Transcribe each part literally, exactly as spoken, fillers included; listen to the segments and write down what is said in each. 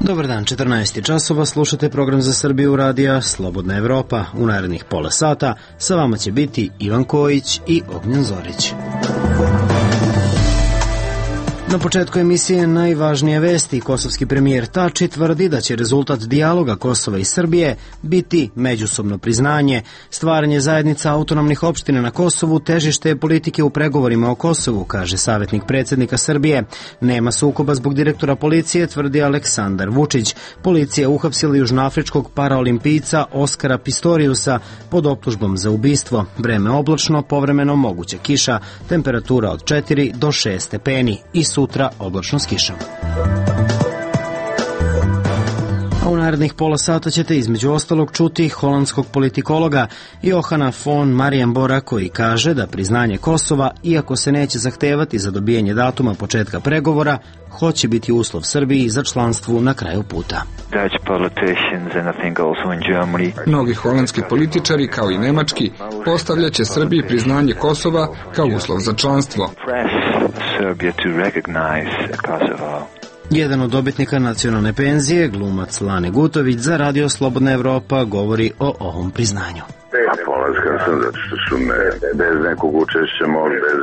Dobar dan, četrnaest časova, slušate program za Srbiju radija Slobodna Evropa. U narednih pola sata sa vama će biti Ivan Kojić i Ognjen Zorić. Na početku emisije najvažnije vesti. Kosovski premijer Tači tvrdi da će rezultat dijaloga Kosova i Srbije biti međusobno priznanje. Stvaranje zajednica autonomnih opština na Kosovu težište je politike u pregovorima o Kosovu, kaže savjetnik predsjednika Srbije. Nema sukoba zbog direktora policije, tvrdi Aleksandar Vučić. Policija uhapsila južnoafričkog paraolimpijca Oskara Pistoriusa pod optužbom za ubistvo. Vreme oblačno, povremeno moguća kiša, temperatura od četiri do šest stepeni i sutra oblačno s kišom. A u narednih pola sata ćete između ostalog čuti holandskog politikologa Johana von Marienbora, koji kaže da priznanje Kosova, iako se neće zahtevati za dobijanje datuma početka pregovora, hoće biti uslov Srbiji za članstvo na kraju puta. Mnogi holandski političari, kao i nemački, postavljaće Srbiji priznanje Kosova kao uslov za članstvo. Jedan od dobitnika nacionalne penzije, glumac Lane Gutović, za Radio Slobodna Evropa govori o ovom priznanju. Polaskan sam zato što su me bez nekog učešća, bez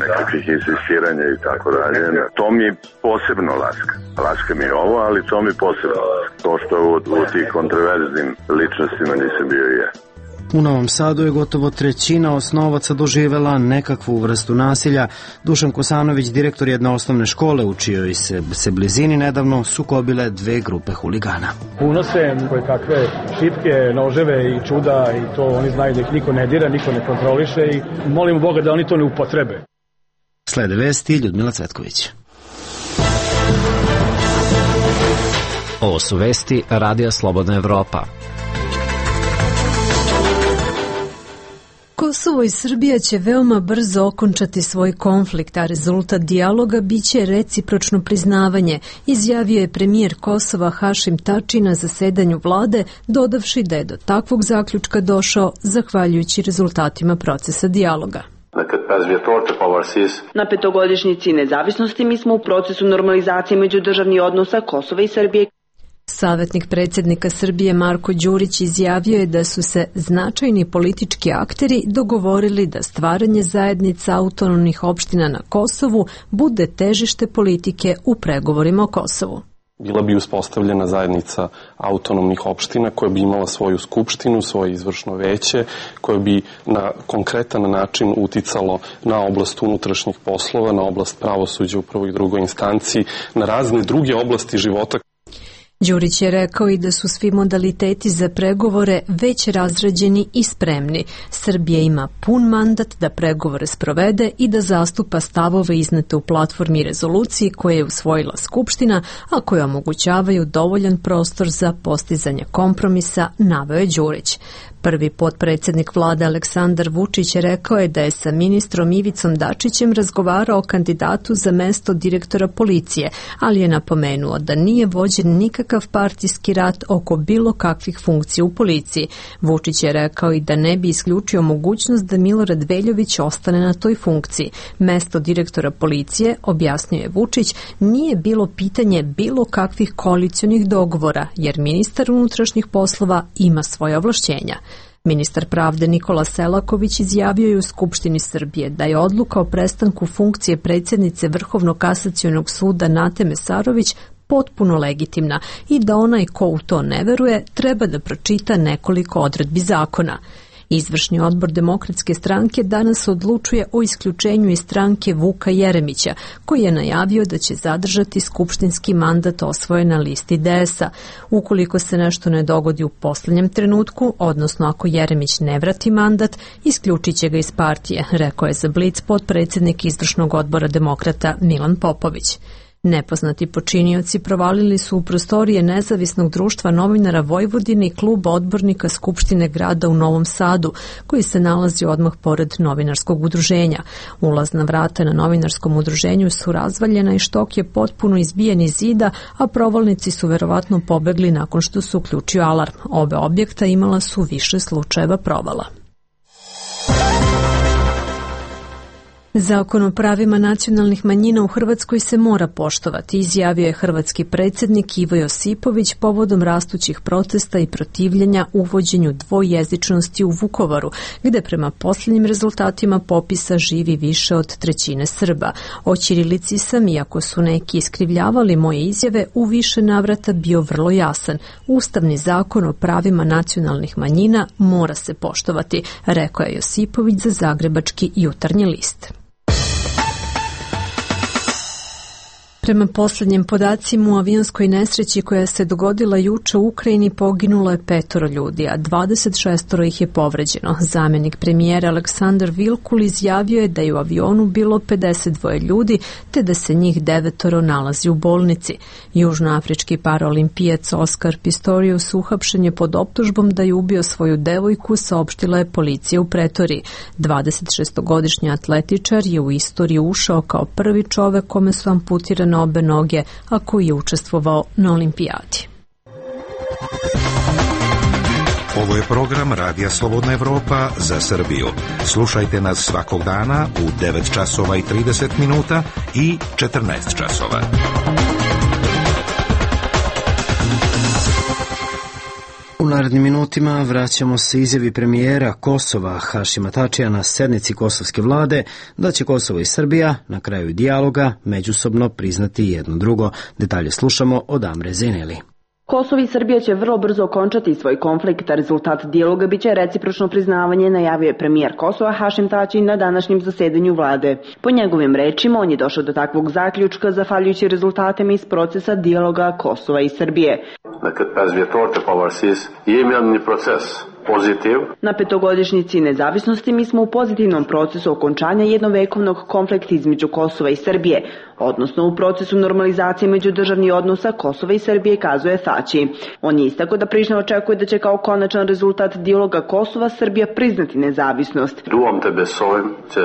nekakvih insistiranja i tako dalje. To mi posebno laska. Laska mi je ovo, ali to mi posebno laska. To što u, u tih kontroverznim ličnostima nisam bio i ja. U Novom Sadu je gotovo trećina osnovaca doživela nekakvu vrstu nasilja. Dušan Kosanović, direktor jedne osnovne škole u čijoj se, se blizini nedavno sukobile dve grupe huligana. Unose koje kakve šipke, noževe i čuda i to oni znaju da ih niko ne dira, niko ne kontroliše i molimo Boga da oni to ne upotrebe. Slede vesti, Ljudmila Cvetković. Ovo su vesti Radija Slobodna Evropa. Kosovo i Srbija će veoma brzo okončati svoj konflikt, a rezultat dijaloga biće recipročno priznavanje, izjavio je premijer Kosova Hašim Tači na zasedanju vlade, dodavši da je do takvog zaključka došao zahvaljujući rezultatima procesa dijaloga. Na petogodišnjici nezavisnosti mi smo u procesu normalizacije međudržavnih odnosa Kosova i Srbije. Savjetnik predsjednika Srbije Marko Đurić izjavio je da su se značajni politički akteri dogovorili da stvaranje zajednica autonomnih opština na Kosovu bude težište politike u pregovorima o Kosovu. Bila bi uspostavljena zajednica autonomnih opština koja bi imala svoju skupštinu, svoje izvršno veće, koje bi na konkretan način uticalo na oblast unutrašnjih poslova, na oblast pravosuđa u prvoj i drugoj instanciji, na razne druge oblasti života. Đurić je rekao i da su svi modaliteti za pregovore već razrađeni i spremni. Srbija ima pun mandat da pregovore sprovede i da zastupa stavove iznete u platformi i rezoluciji koje je usvojila Skupština, a koje omogućavaju dovoljan prostor za postizanje kompromisa, naveo je Đurić. Prvi potpredsjednik vlade Aleksandar Vučić rekao je da je sa ministrom Ivicom Dačićem razgovarao o kandidatu za mesto direktora policije, ali je napomenuo da nije vođen nikakav partijski rat oko bilo kakvih funkcija u policiji. Vučić je rekao i da ne bi isključio mogućnost da Milorad Veljović ostane na toj funkciji. Mesto direktora policije, objasnio je Vučić, nije bilo pitanje bilo kakvih koalicionih dogovora, jer ministar unutrašnjih poslova ima svoje ovlašćenja. Ministar pravde Nikola Selaković izjavio je u Skupštini Srbije da je odluka o prestanku funkcije predsjednice Vrhovnog kasacionog suda Nate Mesarović potpuno legitimna i da onaj ko u to ne veruje treba da pročita nekoliko odredbi zakona. Izvršni odbor Demokratske stranke danas odlučuje o isključenju iz stranke Vuka Jeremića, koji je najavio da će zadržati skupštinski mandat osvojen na listi D S A. Ukoliko se nešto ne dogodi u poslednjem trenutku, odnosno ako Jeremić ne vrati mandat, isključit će ga iz partije, rekao je za Blic potpredsjednik Izvršnog odbora Demokrata Milan Popović. Nepoznati počinioci provalili su u prostorije Nezavisnog društva novinara Vojvodine i kluba odbornika Skupštine grada u Novom Sadu, koji se nalazi odmah pored novinarskog udruženja. Ulazna vrata na novinarskom udruženju su razvaljena i štok je potpuno izbijen iz zida, a provalnici su verovatno pobegli nakon što su uključio alarm. Obe objekta imala su više slučajeva provala. Zakon o pravima nacionalnih manjina u Hrvatskoj se mora poštovati, izjavio je hrvatski predsjednik Ivo Josipović povodom rastućih protesta i protivljenja uvođenju dvojezičnosti u Vukovaru, gde prema posljednjim rezultatima popisa živi više od trećine Srba. O ćirilici sam, iako su neki iskrivljavali moje izjave, u više navrata bio vrlo jasan. Ustavni zakon o pravima nacionalnih manjina mora se poštovati, rekao je Josipović za Zagrebački Jutarnji list. Prema posljednjim podacima u avionskoj nesreći koja se dogodila juče u Ukrajini poginulo je petoro ljudi, a dvadeset šest ih je povređeno. Zamjenik premijera Aleksandar Vilkul izjavio je da je u avionu bilo pedeset dva ljudi, te da se njih devetoro nalazi u bolnici. Južnoafrički paraolimpijac Oskar Pistorius uhapšen je pod optužbom da je ubio svoju devojku, saopštila je policija u Pretoriji. dvadesetšestogodišnji atletičar je u istoriju ušao kao prvi čovek kome su amputirane obe noge, a koji je učestvovao na olimpijadi. Ovo je program Radija Slobodna Evropa za Srbiju. Slušajte nas svakog dana u devet časova i trideset minuta i četrnaest časova. U narednim minutima vraćamo se izjavi premijera Kosova Hašima Tačija na sednici kosovske vlade da će Kosovo i Srbija na kraju dijaloga međusobno priznati jedno drugo. Detalje slušamo od Amre Zeneli. Kosovo i Srbija će vrlo brzo okončati svoj konflikt, a rezultat dijaloga biće recipročno priznavanje, najavio je premijer Kosova Hašim Tači na današnjem zasedanju vlade. Po njegovim rečima, on je došao do takvog zaključka zahvaljujući rezultatima iz procesa dijaloga Kosova i Srbije. Pozitiv. Na petogodišnjici nezavisnosti mi smo u pozitivnom procesu okončanja jednovekovnog konflikta između Kosova i Srbije, odnosno u procesu normalizacije međudržavnih odnosa Kosova i Srbije, kazuje Tači. On je istakao da Priština očekuje da će kao konačan rezultat dijaloga Kosova Srbija priznati nezavisnost. Duam tebe s ovim će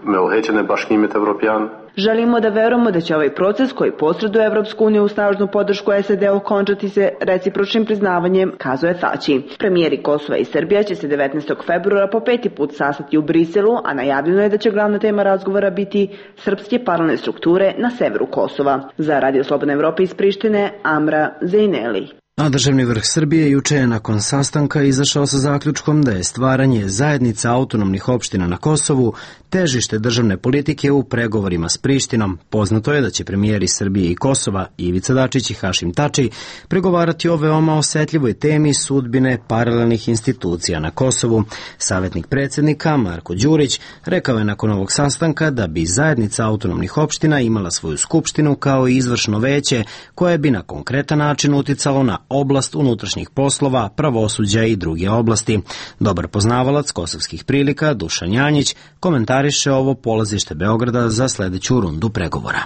me uhećene baškimit Evropijan. Želimo da verujemo da će ovaj proces koji posreduje Evropsku uniju u snažnu podršku S A D okončati se recipročnim priznavanjem, kazuje Tači. Premijeri Kosova i Srbija će se devetnaestog februara po peti put sastati u Briselu, a najavljeno je da će glavna tema razgovora biti srpske paralelne strukture na severu Kosova. Za Radio Slobodna Evropa iz Prištine, Amra Zejneli. A državni vrh Srbije juče je nakon sastanka izašao sa zaključkom da je stvaranje zajednica autonomnih opština na Kosovu težište državne politike u pregovorima s Prištinom. Poznato je da će premijeri Srbije i Kosova, Ivica Dačić i Hašim Tači, pregovarati o veoma osetljivoj temi sudbine paralelnih institucija na Kosovu. Savjetnik predsjednika Marko Đurić rekao je nakon ovog sastanka da bi zajednica autonomnih opština imala svoju skupštinu kao i izvršno veće koje bi na konkretan način uticalo na oblast unutrašnjih poslova, pravosuđa i druge oblasti. Dobar poznavalac kosovskih prilika Dušan Janjić komentariše ovo polazište Beograda za sljedeću rundu pregovora.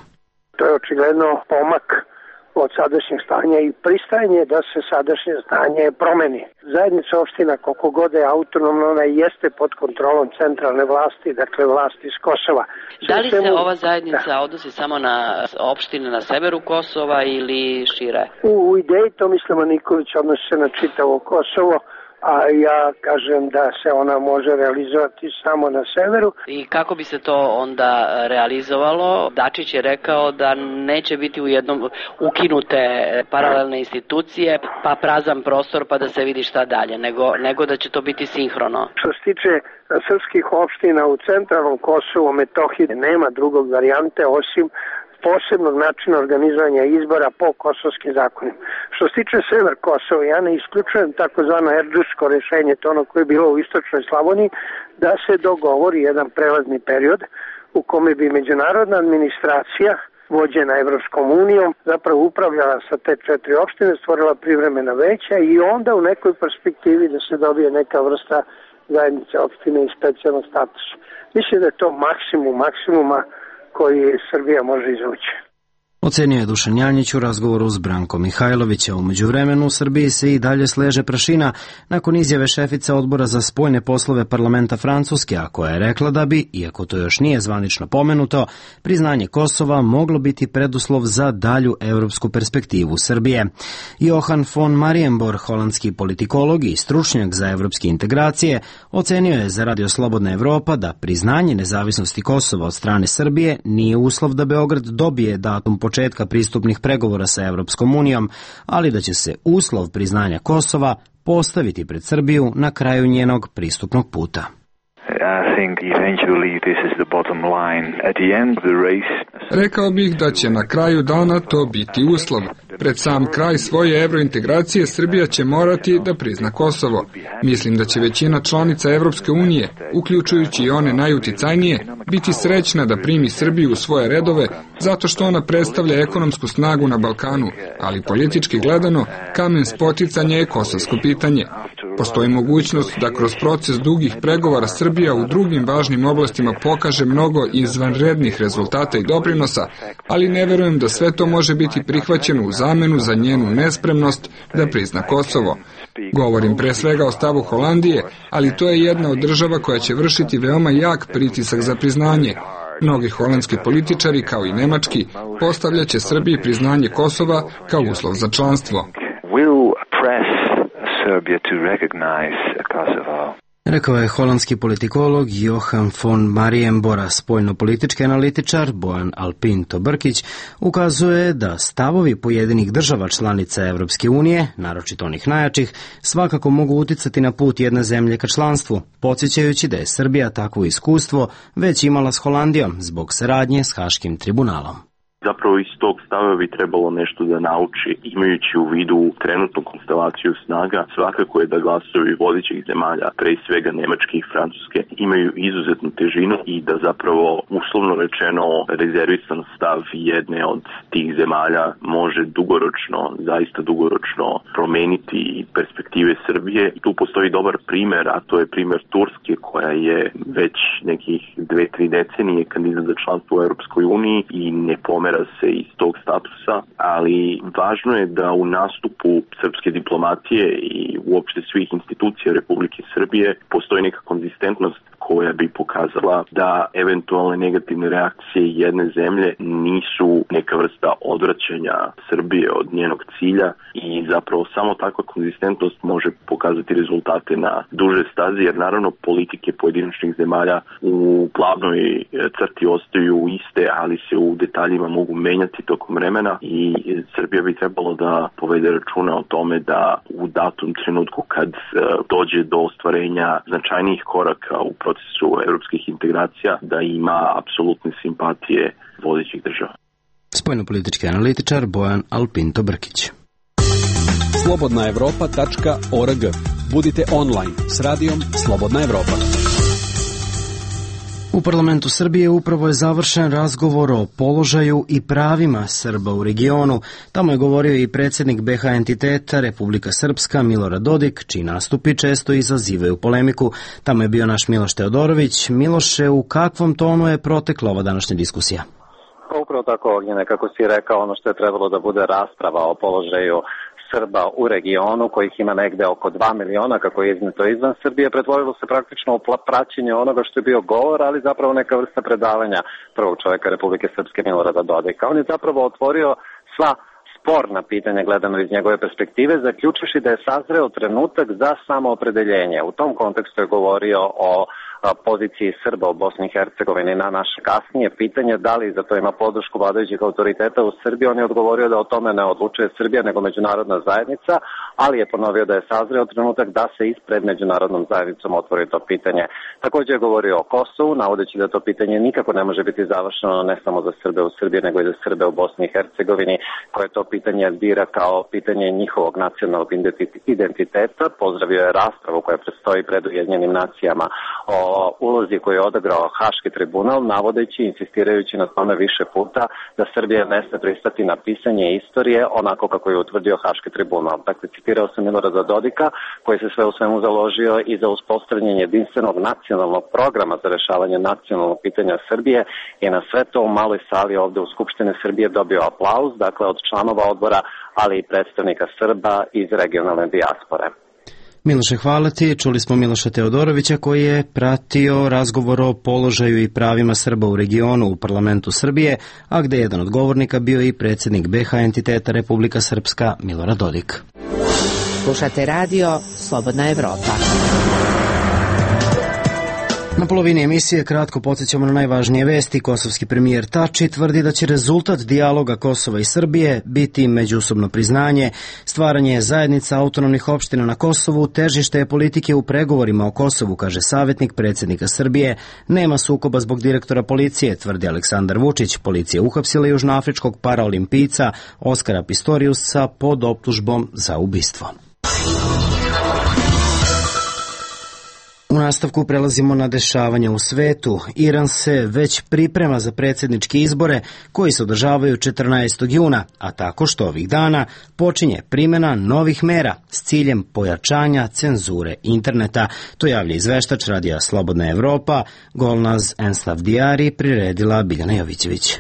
To je očigledno pomak od sadašnjeg stanja i pristajanje da se sadašnje stanje promeni. Zajednica opština, koliko god je autonomna, ona jeste pod kontrolom centralne vlasti, dakle vlasti iz Kosova. Da li se ova zajednica da. odnosi samo na opštine na severu Kosova ili šire? U, u ideji Tomislava Nikolića odnosi se na čitavo Kosovo, a ja kažem da se ona može realizovati samo na severu. I kako bi se to onda realizovalo? Dačić je rekao da neće biti u jednom ukinute paralelne institucije, pa prazan prostor pa da se vidi šta dalje, nego, nego da će to biti sinhrono. Što se tiče srpskih opština u centralnom Kosovu, Metohiji, nema drugog varijante osim posebnog načina organizovanja izbora po kosovskim zakonima. Što se tiče sever Kosova, ja ne isključujem takozvano erdžusko rešenje, to ono koje je bilo u istočnoj Slavoniji, da se dogovori jedan prelazni period u kome bi međunarodna administracija vođena Evropskom unijom zapravo upravljala sa te četiri opštine, stvorila privremena veća i onda u nekoj perspektivi da se dobije neka vrsta zajednice opštine i specijalnog statusa. Mislim da je to maksimum maksimuma koji Srbija može izvući. Ocenio je Dušan Janjić u razgovoru s Brankom Mihajlovića. U međuvremenu u Srbiji se i dalje sleže prašina nakon izjave šefice odbora za spoljne poslove parlamenta Francuske, a koja je rekla da bi, iako to još nije zvanično pomenuto, priznanje Kosova moglo biti preduslov za dalju evropsku perspektivu Srbije. Johan von Marienborg, holandski politikolog i stručnjak za evropske integracije, ocenio je za Radio Slobodna Evropa da priznanje nezavisnosti Kosova od strane Srbije nije uslov da Beograd dobije datum početka pristupnih pregovora sa Evropskom unijom, ali da će se uslov priznanja Kosova postaviti pred Srbiju na kraju njenog pristupnog puta. Rekao bih da će na kraju dana to biti uslov. Pred sam kraj svoje evrointegracije Srbija će morati da prizna Kosovo. Mislim da će većina članica Evropske unije, uključujući i one najuticajnije, biti srećna da primi Srbiju u svoje redove zato što ona predstavlja ekonomsku snagu na Balkanu, ali politički gledano kamen spoticanja je kosovsko pitanje. Postoji mogućnost da kroz proces dugih pregovora Srbija u drugim važnim oblastima pokaže mnogo izvanrednih rezultata i doprinosa, ali ne verujem da sve to može biti prihvaćeno u zamenu za njenu nespremnost da prizna Kosovo. Govorim pre svega o stavu Holandije, ali to je jedna od država koja će vršiti veoma jak pritisak za priznanje. Mnogi holandski političari, kao i nemački, postavljaće Srbiji priznanje Kosova kao uslov za članstvo. Rekao je holandski politikolog Johan von Marienborg. Spoljno-politički analitičar Bojan Alpinto Brkić ukazuje da stavovi pojedinih država članica Evropske unije, naročito onih najjačih, svakako mogu uticati na put jedne zemlje ka članstvu, podsjećajući da je Srbija takvo iskustvo već imala s Holandijom zbog saradnje s Haškim tribunalom. Zapravo iz tog stava bi trebalo nešto da nauči, imajući u vidu trenutnu konstelaciju snaga, svakako je da glasovi vodećih zemalja, pre svega Nemačke i Francuske, imaju izuzetnu težinu i da zapravo, uslovno rečeno, rezervisan stav jedne od tih zemalja može dugoročno, zaista dugoročno promeniti perspektive Srbije. Tu postoji dobar primer, a to je primer Turske, koja je već nekih dve, tri decenije kandidat za članstvo u Europskoj uniji i ne pomera se iz tog statusa, ali važno je da u nastupu srpske diplomatije i uopšte svih institucija Republike Srbije postoji neka konzistentnost koja bi pokazala da eventualne negativne reakcije jedne zemlje nisu neka vrsta odvraćanja Srbije od njenog cilja i zapravo samo takva konzistentnost može pokazati rezultate na duže staze, jer naravno politike pojedinačnih zemalja u glavnoj crti ostaju iste, ali se u detaljima mogu menjati tokom vremena i Srbija bi trebalo da povede računa o tome da u datom trenutku kad dođe do ostvarenja značajnijih koraka u procesu evropskih integracija, da ima apsolutne simpatije vodećih država. Spoljnopolitički analitičar Bojan Alpinto Brkić. slobodna evropa tačka org. Budite online s radijom Slobodna Evropa. U parlamentu Srbije upravo je završen razgovor o položaju i pravima Srba u regionu. Tamo je govorio i predsjednik be ha entiteta Republika Srpska Milorad Dodik, čiji nastupi često izazivaju polemiku. Tamo je bio naš Miloš Teodorović. Miloše, u kakvom tonu je protekla ova današnja diskusija? Upravo tako, Ognjene, kako si rekao, ono što je trebalo da bude rasprava o položaju Srba u regionu, kojih ima negde oko dva miliona, kako je izneto izvan Srbije, pretvorilo se praktično u praćenje onoga što je bio govor, ali zapravo neka vrsta predavanja prvog čovjeka Republike Srpske Milorada Dodika. On je zapravo otvorio sva sporna pitanja gledano iz njegove perspektive, zaključivši da je sazreo trenutak za samoopredeljenje. U tom kontekstu je govorio o poziciji Srba u Bosni i Hercegovini na naše kasnije pitanje da li za to ima podršku vladajućih autoriteta u Srbiji. On je odgovorio da o tome ne odlučuje Srbija nego međunarodna zajednica, ali je ponovio da je sazreo trenutak da se ispred međunarodnom zajednicom otvori to pitanje. Također je govorio o Kosovu, navodeći da to pitanje nikako ne može biti završeno ne samo za Srbe u Srbiji nego i za Srbe u Bosni i Hercegovini, koje to pitanje bira kao pitanje njihovog nacionalnog identiteta. Pozdravio je raspravu koja predstoji pred Ujedinjenim nacijama o ulozi koju je odigrao Haški tribunal, navodeći, insistirajući na tome više puta da Srbija ne sme pristati na pisanje istorije onako kako je utvrdio Haški tribunal. Dakle, citirao sam Milorada Dodika, koji se sve u svemu založio i za uspostavljanje jedinstvenog nacionalnog programa za rešavanje nacionalnog pitanja Srbije i na sve to u maloj sali ovde u Skupštini Srbije dobio aplauz, dakle od članova odbora, ali i predstavnika Srba iz regionalne dijaspore. Miloše, hvala ti. Čuli smo Miloša Teodorovića koji je pratio razgovor o položaju i pravima Srba u regionu u parlamentu Srbije, a gde je jedan od govornika bio i predsjednik be ha entiteta Republika Srpska Milorad Dodik. Slušate radio Slobodna Evropa. Na polovini emisije kratko podsjećamo na najvažnije vesti. Kosovski premijer Tači tvrdi da će rezultat dijaloga Kosova i Srbije biti međusobno priznanje, stvaranje zajednica autonomnih opština na Kosovu, težište je politike u pregovorima o Kosovu, kaže savjetnik predsjednika Srbije. Nema sukoba zbog direktora policije, tvrdi Aleksandar Vučić. Policija uhapsila južnoafričkog paraolimpijca Oskara Pistoriusa pod optužbom za ubistvo. U nastavku prelazimo na dešavanja u svetu. Iran se već priprema za predsjedničke izbore koji se održavaju četrnaestog juna, a tako što ovih dana počinje primjena novih mera s ciljem pojačanja cenzure interneta. To javlja izveštač Radija Slobodna Evropa, Golnaz Enslavdijari, priredila Biljana Jovićević.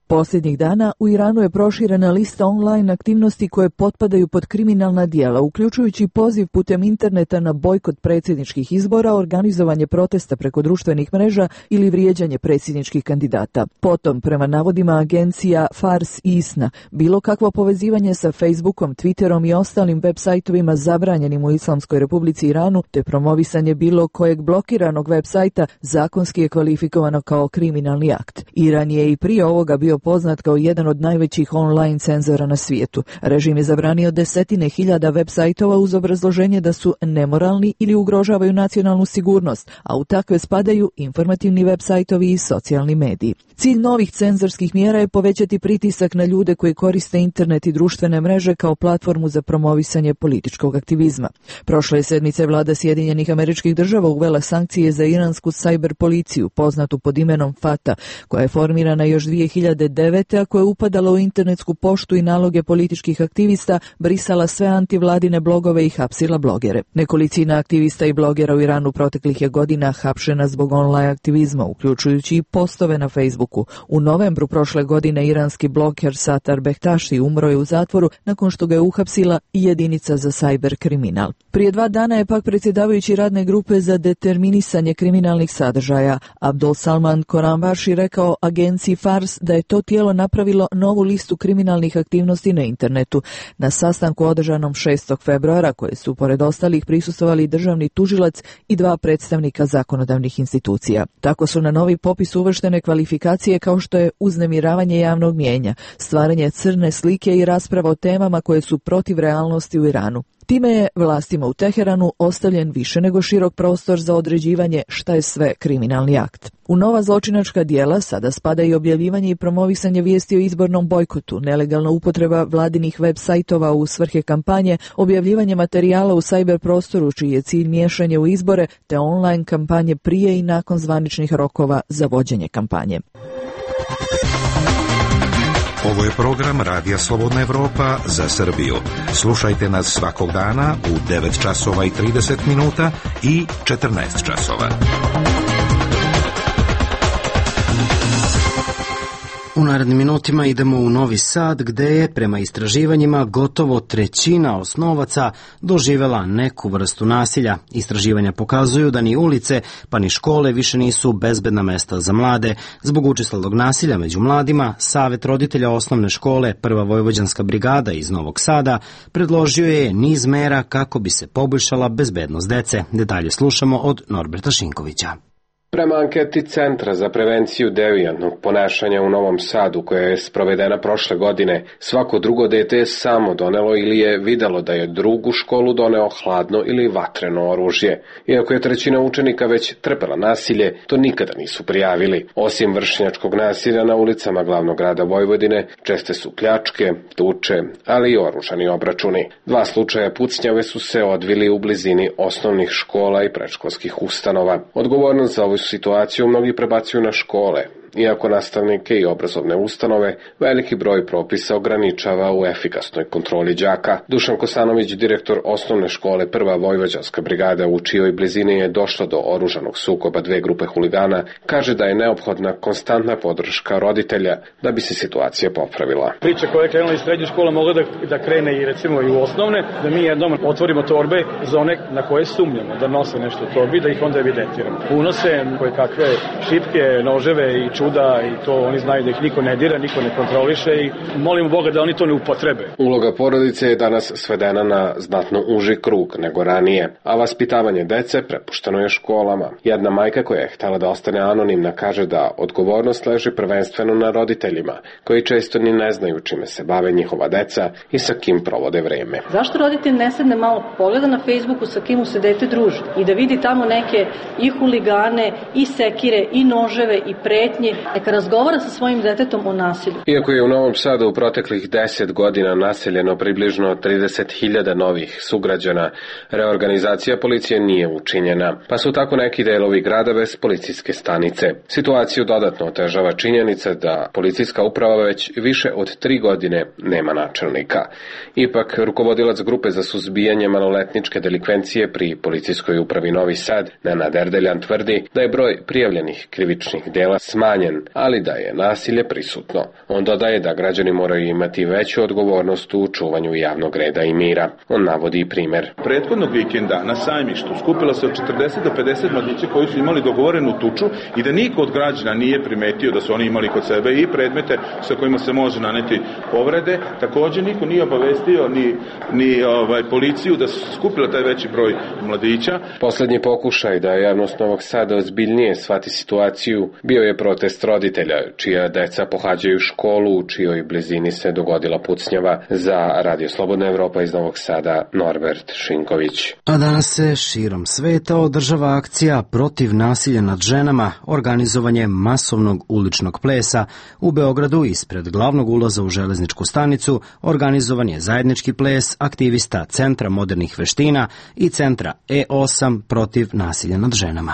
Posljednjih dana u Iranu je proširena lista online aktivnosti koje potpadaju pod kriminalna dijela, uključujući poziv putem interneta na bojkot predsjedničkih izbora, organizovanje protesta preko društvenih mreža ili vrijeđanje predsjedničkih kandidata. Potom, prema navodima agencija Fars i Isna, bilo kakvo povezivanje sa Facebookom, Twitterom i ostalim web sajtovima zabranjenim u Islamskoj Republici Iranu, te promovisanje bilo kojeg blokiranog web sajta zakonski je kvalifikovano kao kriminalni akt. Iran je i prije ovoga bio poznat kao jedan od najvećih online cenzora na svijetu. Režim je zabranio desetine hiljada web sajtova uz obrazloženje da su nemoralni ili ugrožavaju nacionalnu sigurnost, a u takve spadaju informativni web sajtovi i socijalni mediji. Cilj novih cenzorskih mjera je povećati pritisak na ljude koji koriste internet i društvene mreže kao platformu za promovisanje političkog aktivizma. Prošle sedmice vlada Sjedinjenih Američkih Država uvela sankcije za iransku sajber policiju, poznatu pod imenom Fata, koja je formirana još dvije hiljade devete. a koja je upadala u internetsku poštu i naloge političkih aktivista, brisala sve antivladine blogove i hapsila blogere. Nekolicina aktivista i blogera u Iranu proteklih je godina hapšena zbog online aktivizma, uključujući i postove na Facebooku. U novembru prošle godine iranski bloger Satar Behtaši umro je u zatvoru nakon što ga je uhapsila i jedinica za sajber kriminal. Prije dva dana je pak predsjedavajući radne grupe za determinisanje kriminalnih sadržaja Abdul Salman Koranbaši rekao agenciji Fars da je to tijelo napravilo novu listu kriminalnih aktivnosti na internetu. Na sastanku održanom šestog februara, koje su pored ostalih prisustvovali državni tužilac i dva predstavnika zakonodavnih institucija. Tako su na novi popis uvrštene kvalifikacije kao što je uznemiravanje javnog mijenja, stvaranje crne slike i rasprava o temama koje su protiv realnosti u Iranu. Time je vlastima u Teheranu ostavljen više nego širok prostor za određivanje šta je sve kriminalni akt. U nova zločinačka dijela sada spada i objavljivanje i promovisanje vijesti o izbornom bojkotu, nelegalna upotreba vladinih web sajtova u svrhe kampanje, objavljivanje materijala u sajber prostoru čiji je cilj miješanje u izbore, te online kampanje prije i nakon zvaničnih rokova za vođenje kampanje. Ovo je program Radija Slobodna Evropa za Srbiju. Slušajte nas svakog dana u devet časova i trideset minuta i četrnaest časova. U narednim minutima idemo u Novi Sad, gde je prema istraživanjima gotovo trećina osnovaca doživela neku vrstu nasilja. Istraživanja pokazuju da ni ulice pa ni škole više nisu bezbedna mesta za mlade. Zbog učestalog nasilja među mladima, Savet roditelja osnovne škole Prva vojvođanska brigada iz Novog Sada predložio je niz mera kako bi se poboljšala bezbednost dece. Detalje slušamo od Norberta Šinkovića. Prema anketi Centra za prevenciju devijantnog ponašanja u Novom Sadu, koja je sprovedena prošle godine, svako drugo dete je samo donelo ili je videlo da je drugu školu doneo hladno ili vatreno oružje. Iako je trećina učenika već trpela nasilje, to nikada nisu prijavili. Osim vršnjačkog nasilja na ulicama glavnog grada Vojvodine, česte su pljačke, tuče, ali i oružani obračuni. Dva slučaja pucnjave su se odvili u blizini osnovnih škola i predškolskih ustanova. Odgovornost za ovu situaciju mnogi prebacuju na škole. Iako nastavnike i obrazovne ustanove, veliki broj propisa ograničava u efikasnoj kontroli đaka. Dušan Kosanović, direktor osnovne škole Prva vojvođanska brigada, u čijoj blizini je došlo do oružanog sukoba dve grupe huligana, kaže da je neophodna konstantna podrška roditelja da bi se situacija popravila. Priča koja je krenula iz srednje škole mogla da, da krene i recimo i u osnovne, da mi jednom otvorimo torbe za one na koje sumnjamo da nose nešto u torbi, da ih onda evidentiramo. Unose koje kakve šipke, noževe i čuda i to oni znaju da ih niko ne dira, niko ne kontroliše i molimo Boga da oni to ne upotrebe. Uloga porodice je danas svedena na znatno uži krug nego ranije, a vaspitavanje dece prepušteno je školama. Jedna majka koja je htela da ostane anonimna kaže da odgovornost leži prvenstveno na roditeljima, koji često ni ne znaju čime se bave njihova deca i sa kim provode vreme. Zašto roditelj ne sedne malo pogleda na Facebooku sa kim mu se dete druži i da vidi tamo neke i huligane, i sekire, i noževe, i pretnje, neka razgovara sa svojim detetom o nasilju. Iako je u Novom Sadu u proteklih deset godina naseljeno približno trideset hiljada novih sugrađana, reorganizacija policije nije učinjena, pa su tako neki delovi grada bez policijske stanice. Situaciju dodatno otežava činjenica da policijska uprava već više od tri godine nema načelnika. Ipak, rukovodilac grupe za suzbijanje maloletničke delikvencije pri policijskoj upravi Novi Sad, Nenad Erdeljan, tvrdi da je broj prijavljenih krivičnih dela smanjen, ali da je nasilje prisutno. On dodaje da građani moraju imati veću odgovornost u čuvanju javnog reda i mira. On navodi primer. Prethodnog vikenda na sajmištu skupilo se od četrdeset do pedeset mladića koji su imali dogovorenu tuču i da niko od građana nije primetio da su oni imali kod sebe i predmete sa kojima se može naneti povrede. Takođe niko nije obavestio ni, ni ovaj, policiju da su skupila taj veći broj mladića. Poslednji pokušaj da javnost Novog Sada ozbiljnije shvati situaciju bio je protest roditelja, čija deca pohađaju školu u čijoj blizini se dogodila pucnjava. Za Radio Slobodna Evropa iz Novog Sada, Norbert Šinković. A danas se širom sveta održava akcija protiv nasilja nad ženama, organizovanje masovnog uličnog plesa. U Beogradu ispred glavnog ulaza u železničku stanicu organizovan je zajednički ples aktivista Centra modernih veština i Centra E osam protiv nasilja nad ženama.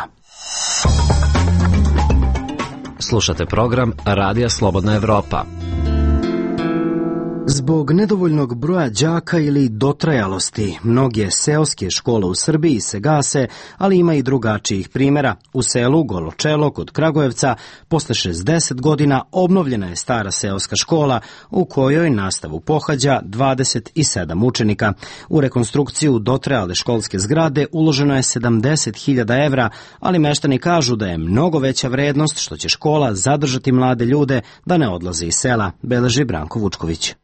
Slušate program Radija Slobodna Evropa. Zbog nedovoljnog broja đaka ili dotrajalosti, mnoge seoske škole u Srbiji se gase, ali ima i drugačijih primjera. U selu Goločelo kod Kragujevca posle šezdeset godina obnovljena je stara seoska škola u kojoj nastavu pohađa dvadeset sedam učenika. U rekonstrukciju dotrajale školske zgrade uloženo je sedamdeset hiljada evra, ali meštani kažu da je mnogo veća vrednost što će škola zadržati mlade ljude da ne odlaze iz sela, beleži Branko Vučković.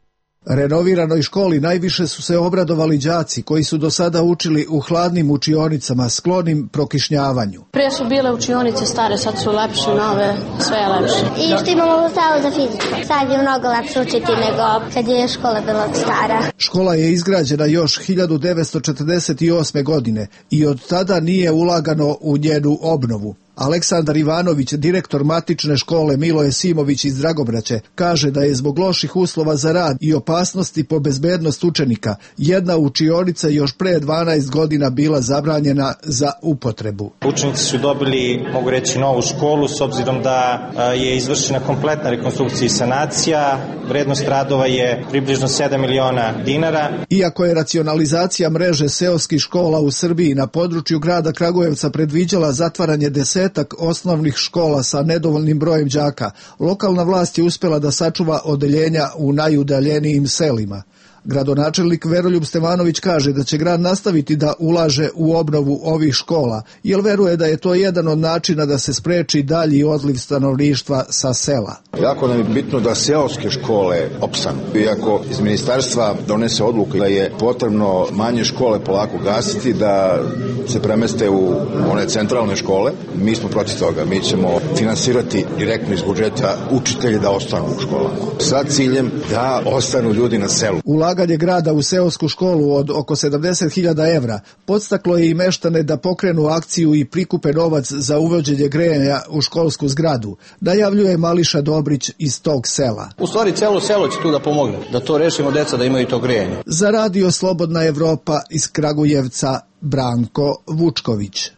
Renoviranoj školi najviše su se obradovali đaci koji su do sada učili u hladnim učionicama sklonim prokišnjavanju. Prije su bile učionice stare, sad su lepše, nove, sve je lepše. I što imamo salu za fiziku. Sad je mnogo lepše učiti nego kad je škola bila stara. Škola je izgrađena još hiljadu devetsto četrdeset osme. godine i od tada nije ulagano u njenu obnovu. Aleksandar Ivanović, direktor matične škole Miloje Simović iz Dragobraće, kaže da je zbog loših uslova za rad i opasnosti po bezbednost učenika jedna učionica još pre dvanaest godina bila zabranjena za upotrebu. Učenici su dobili, mogu reći, novu školu s obzirom da je izvršena kompletna rekonstrukcija i sanacija. Vrednost radova je približno sedam miliona dinara. Iako je racionalizacija mreže seoskih škola u Srbiji na području grada Kragujevca predviđala zatvaranje deset osnovnih škola sa nedovoljnim brojem đaka, lokalna vlast je uspela da sačuva odeljenja u najudaljenijim selima. Gradonačelnik Veroljub Stevanović kaže da će grad nastaviti da ulaže u obnovu ovih škola, jer veruje da je to jedan od načina da se spreči dalji odliv stanovništva sa sela. Jako nam je bitno da seoske škole opstanu. Iako iz ministarstva donese odluku da je potrebno manje škole polako gasiti, da se premeste u one centralne škole, mi smo protiv toga. Mi ćemo finansirati direktno iz budžeta učitelji da ostanu u školama. Sa ciljem da ostanu ljudi na selu. Ulaganje grada u seosku školu od oko sedamdeset hiljada evra podstaklo je i meštane da pokrenu akciju i prikupe novac za uvođenje grejanja u školsku zgradu, najavljuje Mališa Dobrić iz tog sela. U stvari celo selo će tu da pomogne, da to rešimo, deca da imaju to grejanje. Za Radio Slobodna Evropa iz Kragujevca, Branko Vučković.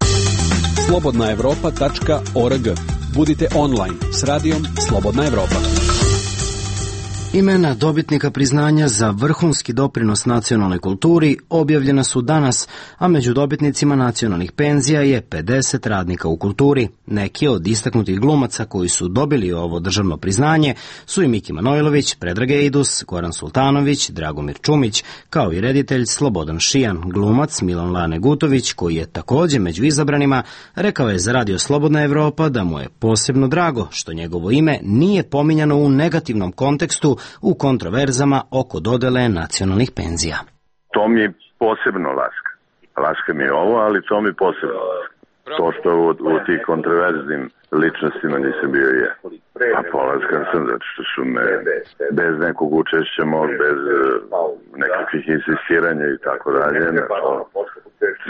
slobodna evropa tačka org. Budite online s radijom Slobodna Evropa. Imena dobitnika priznanja za vrhunski doprinos nacionalnoj kulturi objavljena su danas, a među dobitnicima nacionalnih penzija je pedeset radnika u kulturi. Neki od istaknutih glumaca koji su dobili ovo državno priznanje su i Miki Manojlović, Predrag Ejdus, Goran Sultanović, Dragomir Čumić, kao i reditelj Slobodan Šijan. Glumac Milan Lane Gutović, koji je takođe među izabranima, rekao je za Radio Slobodna Evropa da mu je posebno drago što njegovo ime nije pominjano u negativnom kontekstu u kontroverzama oko dodele nacionalnih penzija. To mi je posebno laska. Laska mi je ovo, ali to mi je posebno laska. To što u, u tih kontroverznim ličnostima nisam bio je. Pa polaskan sam, zato što su me bez nekog učešća mog, bez nekakvih insistiranja i tako dalje.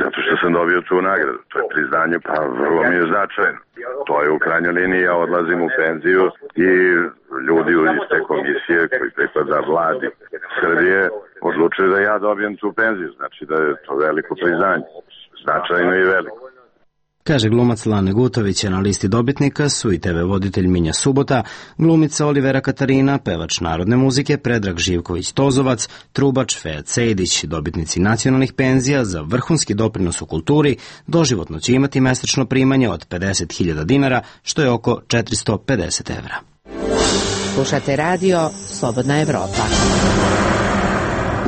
Zato što sam dobio tu nagradu. To je priznanje, pa vrlo mi je značajno. To je u krajnjoj liniji, ja odlazim u penziju i ljudi iz te komisije koji pripada vladi Srbije odlučuju da ja dobijem tu penziju. Znači da je to veliko priznanje. Značajno i veliko. Kaže glumac Lane Gutović, na listi dobitnika su i te ve voditelj Minja Subota, glumica Olivera Katarina, pevač narodne muzike Predrag Živković-Tozovac, trubač Fejat Sejdić. Dobitnici nacionalnih penzija za vrhunski doprinos u kulturi doživotno će imati mesečno primanje od pedeset hiljada dinara, što je oko četiristo pedeset evra. Slušate radio Slobodna Evropa.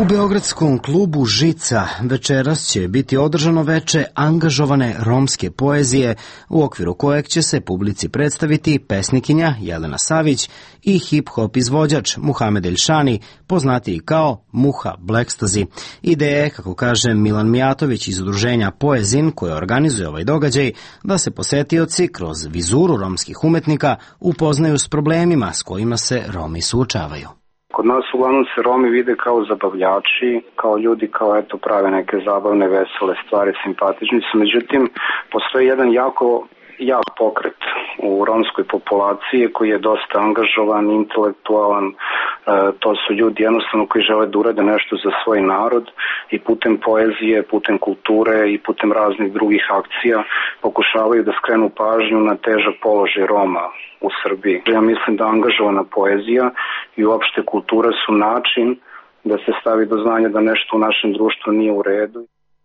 U beogradskom klubu Žica večeras će biti održano veče angažovane romske poezije, u okviru kojeg će se publici predstaviti pesnikinja Jelena Savić i hip-hop izvođač Muhamed Elšani, poznatiji kao Muha Blackstazi. Ideja je, kako kaže Milan Mijatović iz udruženja Poezin, koje organizuje ovaj događaj, da se posetioci kroz vizuru romskih umetnika upoznaju s problemima s kojima se Romi suočavaju. Kod nas uglavnom se Romi vide kao zabavljači, kao ljudi kao eto prave neke zabavne, vesele stvari, simpatični su. Međutim, postoji jedan jako jak pokret u romskoj populaciji koji je dosta angažovan, intelektualan. E, to su ljudi jednostavno koji žele da urade nešto za svoj narod i putem poezije, putem kulture i putem raznih drugih akcija pokušavaju da skrenu pažnju na težak položaj Roma u Srbiji. Ja mislim da angažovana poezija i uopšte kultura su način da se stavi do znanja da nešto u našem društvu nije u redu.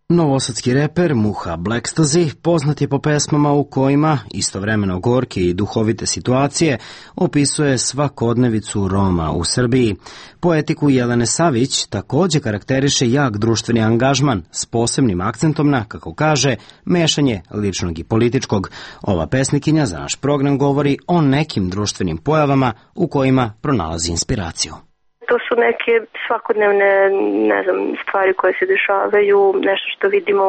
Novosadski reper Muha Blackstazi poznat je po pesmama u kojima, istovremeno gorke i duhovite situacije, opisuje svakodnevicu Roma u Srbiji. Poetiku Jelene Savić takođe karakteriše jak društveni angažman s posebnim akcentom na, kako kaže, mešanje ličnog i političkog. Ova pesnikinja za naš program govori o nekim društvenim pojavama u kojima pronalazi inspiraciju. To su neke svakodnevne, ne znam, stvari koje se dešavaju, nešto što vidimo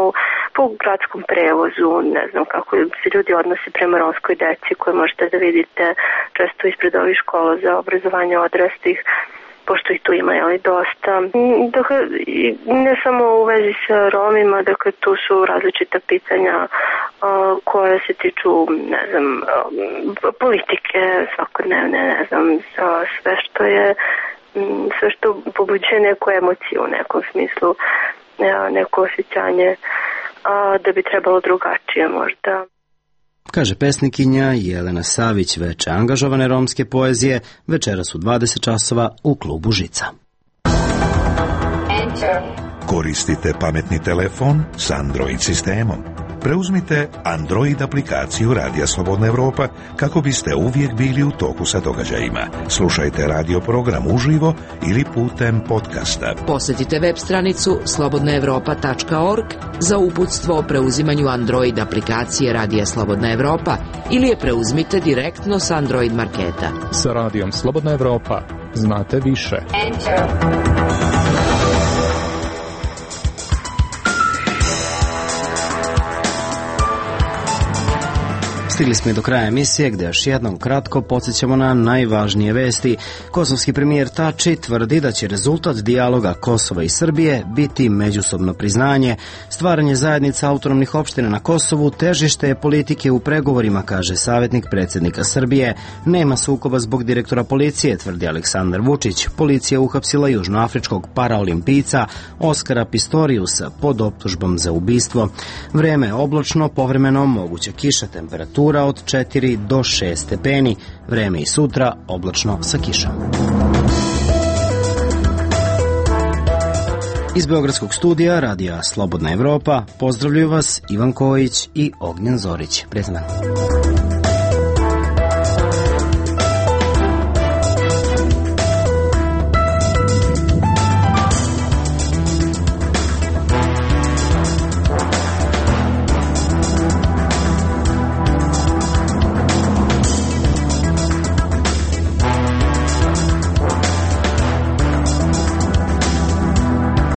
po gradskom prevozu, ne znam kako se ljudi odnose prema romskoj deci koje možete da vidite često ispred ovih škola za obrazovanje odraslih, pošto ih tu ima jeli dosta. Dakle, ne samo u vezi sa Romima, dakle tu su različita pitanja uh, koje se tiču, ne znam, uh, politike svakodnevne, ne znam, sve što je sve što pobuđuje neku emociju u nekom smislu, neko osjećanje da bi trebalo drugačije možda. Kaže pesnikinja Jelena Savić, veče angažovane romske poezije, večeras u dvadeset časova u klubu Žica. Koristite pametni telefon s Android sistemom. Preuzmite Android aplikaciju Radija Slobodna Evropa kako biste uvijek bili u toku sa događajima. Slušajte radio program uživo ili putem podcasta. Posjetite web stranicu slobodna evropa tačka org za uputstvo o preuzimanju Android aplikacije Radija Slobodna Evropa ili je preuzmite direktno s Android marketa. Sa Radijom Slobodna Evropa znate više. Enter. Stigli smo i do kraja emisije gdje još jednom kratko podsjećamo na najvažnije vesti. Kosovski premijer Tači tvrdi da će rezultat dijaloga Kosova i Srbije biti međusobno priznanje. Stvaranje zajednica autonomnih opština na Kosovu težište je politike u pregovorima, kaže savjetnik predsjednika Srbije. Nema sukoba zbog direktora policije, tvrdi Aleksandar Vučić. Policija uhapsila južnoafričkog paraolimpijca Oskara Pistoriusa pod optužbom za ubistvo. Vreme je oblačno, povremeno moguća kiša, temperatura od četiri do šest stepeni. Vreme i sutra oblačno sa kišom. Iz Beogradskog studija Radija Slobodna Evropa pozdravljuju vas Ivan Kojić i Ognjen Zorić. Prijetan dan.